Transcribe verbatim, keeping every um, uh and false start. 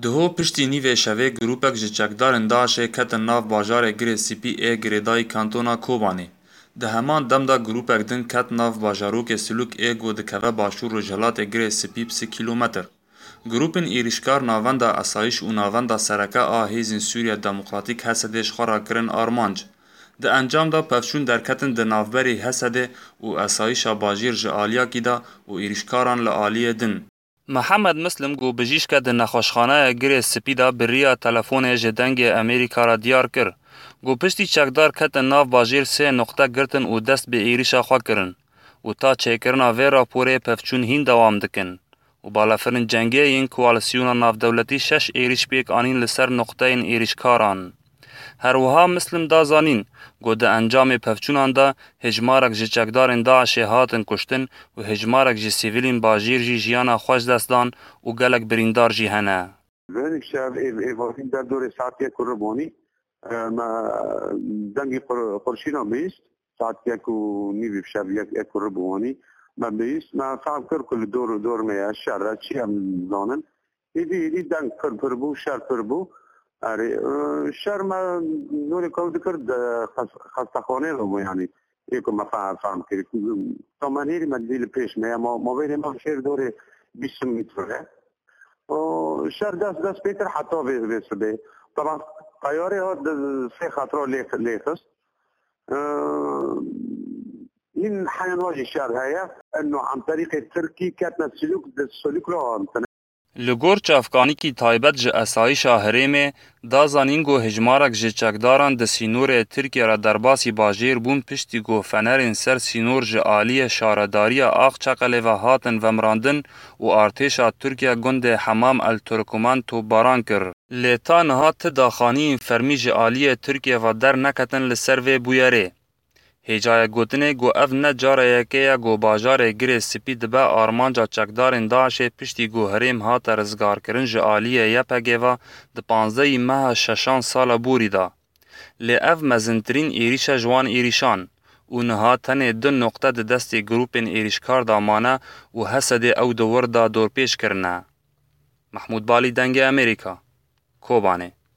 Diho piştî nîvê şevê grûpek ji çekdarên DAIŞê ketin nav bajarê Girê Spî ê girêdayî kantona Kobanê. Di heman dem de grûpek din ket nav bajarokê Silûk ê ku dikeve başûr rojhilatê Girê Spî bi sî kîlometr. Grûpên êrîşkar navenda esayîş û navenda sereke a Hêzên Sûriya Demokratîk HSDê ji xwe re kirin armanc. Di encam de pevçûn derketin di navberê HSDê û esayîşa bajêr ji aliyakî de û êrîşkaran li aliyê din. Mihemed Mislim ku bijîşke di nexweşxaneya Girê Spî de bi riya telefonê ji Dengê Amerîka re diyar kir ku piştî çekdar ketin nav bajêr sê nuqte girtin û dest bi êrîşa xwe kirin û ta çêkirina vê raporê pevçûn hîn dewam dikin û balafirên cengê yên koalîsyona navdewletî şeş êrîş pêk anîn li ser nuqteyên êrîşkaran. Her wiha Mislim da zanîn ku di encamê pevçûnan de hêjmarek ji çekdarên DAIŞê hatin kuştin û hêjmarek ji sivîlên bajêr jî jiyana xwe ji dest dan û gelek birîndar jî hene. Vêrî şev ê, êvarîn der dorê saet yek û ribû wanî, e, me dengê qur-, qurşîna bihîst, saet yek û nîvî bi şev yek, yek û ribû wanî, me bihîst, me fehm kir ku li dor û dor me ye, şer e, çi em zanin. Êdî, êdî deng pir pir bû, şer pir bû. Erê, e, şer me nûrê ku ew dikir, di xes-, xestexaneyê de bû, yanî, ê ku me fe-, fehm kirî. Tamen hêrî me dî li pêş me ye, ma-, mabênê me şêr dorê bîst metre ye. O, şer dest, dest pê kir heta vê, vê sibê. Taban teyarê hat di sê xetira lê, lê xist. E, hîn heyan wa jî şer heye. Eno em terîqê Tirkî ketine Silûk, di Silûk re hatine. Li gor çavkanîkî taybet ji esayîşa herêmê da zanîn ku hejmarek ji çekdaran di sînorê Tirkiye re derbasî bajêr bûn, piştî ku fenerên ser sînor ji aliyê şaredariya Aqçeqelê ve hatin vemirandin û artêşa Tirkiye gundê Hemam El Turkuman topbaran kir. Lê ta niha ti daxaniyên fermî ji aliyê Tirkiye ve derneketin li ser vê bûyerê. Hêjayek gotinê ku ev ne cara yekê ye ku bajarê Girê Spî dibe armanca çekdarên DAIŞê, piştî ku herêm hate rizgarkirin ji aliyê Y P G ve di panzdehê meha şeşan sala borî de. Lê ev mezintirîn êrîş e ji wan êrîşan û niha tenê du noqte di destê grûpên êrîşkar de mane û H S D'ê ew di wir de dorpêç kirine. Mehmûd Balî, Dengê Amerîka, Kobanê.